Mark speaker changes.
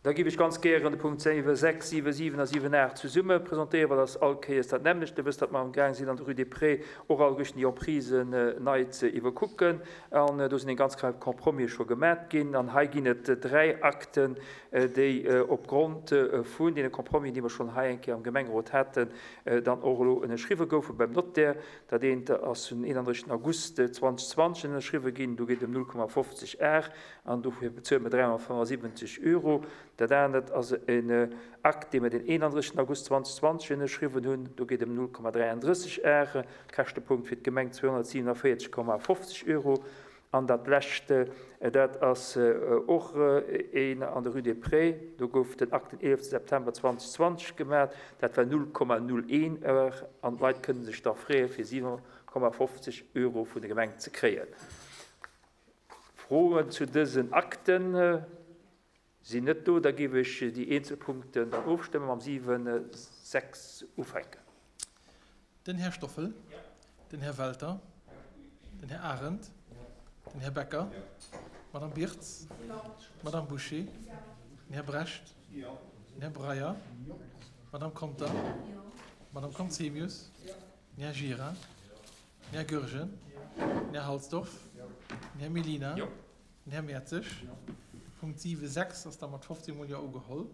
Speaker 1: Da géif ech ganz gären de Punkt 7, 6, 7, 7 a 7, 8 zesumme presentéieren, well dat ass all Kéiers dat nämmlecht. Dir wësst, datt mer amgaang sinn, an der Rue des Prés och alleguerten déi Emprisen nei ze iwwerkucken. An do sinn eng ganz Rei Compromise scho gemat ginn. An hei ginn et dräi Akten, déi opgrond vun deene Compromisen, déi mer schonn hei eng Kéier am Gemengerot haten, dann och elo ënnerschriwwe goufe beim Notaire. Dat eent ass den 31 August 2020 ënnerschriwwe ginn, do geet et ëm 0,50 Ar. An dofir bezuele mer 375 Euro. Dat anert ass en Akt, dee mer den 31 August 2020 ënnerschriwwen hunn. Do geet et ëm 0,33 Ar, Käschtepunkt fir d'Gemeng 247,50 Euro. An dat lescht, dat ass och een an der Rue des Prés. Do gouf den Akt den 11 September 2020 gemaach. Dat war 0,01 Ar. An d'Leit kënne sech da freeë fir 7,50 Euro vun der Gemeng ze kréien. Froen zu dësen Akten sinn net do. Da géif ech déi eenzel Punkten dann ofstëmmen, mam 7, 6 ufänken.
Speaker 2: Den Här Stoffel. Den Här Welter. Den Här Arendt. Den Här Becker. D'Madame Birtz. D'Madame Bouché. Den Här Brecht. Den Här Breyer. D'Madame Conter. D'Madame Conzemius. Den Här Gira. Den Här Goergen, den Här Halsdorf, den Här Mellina, den Här Mertzig. Punkt 7, 6 ass da mat 15 mol Jo ugeholl.